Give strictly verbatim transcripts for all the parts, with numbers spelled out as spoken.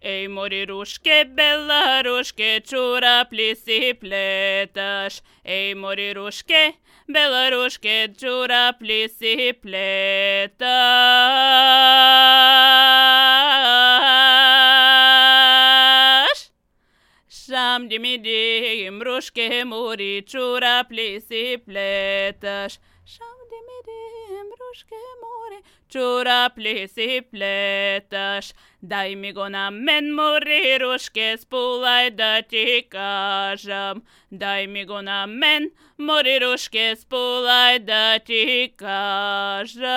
Ej, moriruške, belaruške, čuraplji si pletaš. Ej, moriruške, belaruške, čuraplji si pletaš. Šam dimi dim, ruške muri, čuraplji si pletaš. Šam dimi dim, ruške muri, čuraplji si pletaš. Daj mi go na men, moriruške, spulaj da ti kažem. Daj mi go na men, moriruške, spulaj da ti kažem.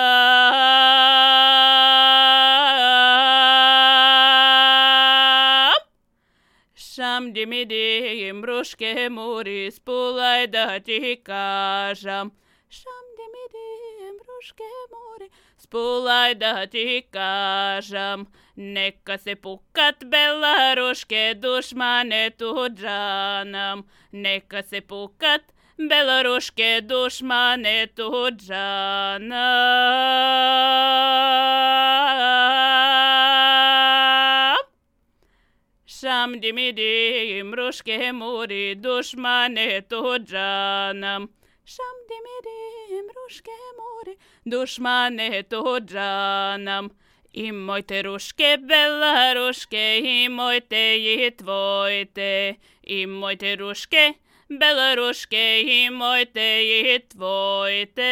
Šam dimi dim, ruške muri, spulaj da ti kažem. Šam dimi dim, ruške muri, spulaj da ti kažem. Neka se pukat belaruške, dušmane tuđanom. Neka se pukat belaruške, dušmane tuđanom. Šam dimi dim, ruške muri, dušmane tuđanom. Šam dimi dim, ruške muri, dušmane tuđanom. Imojte ruške, belaruške, imojte i tvojte. Imojte ruške, belaruške, imojte i tvojte.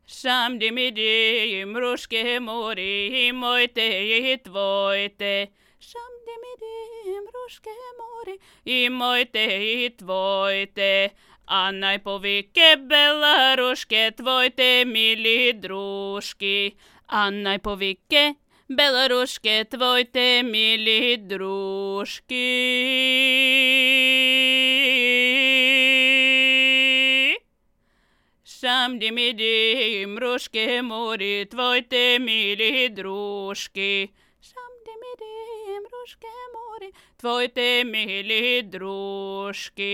Šam dimi dim, ruške muri, imojte i tvojte. Šam dimi dim, ruške muri, imojte i tvojte. A najpovike belaruške, tvojte mili druški. A najpovike belaruške, tvojte mili druški. Šam dimi dim, ruške muri, tvojte mili druški. Šam dimi dim, ruške muri, tvojte mili druški.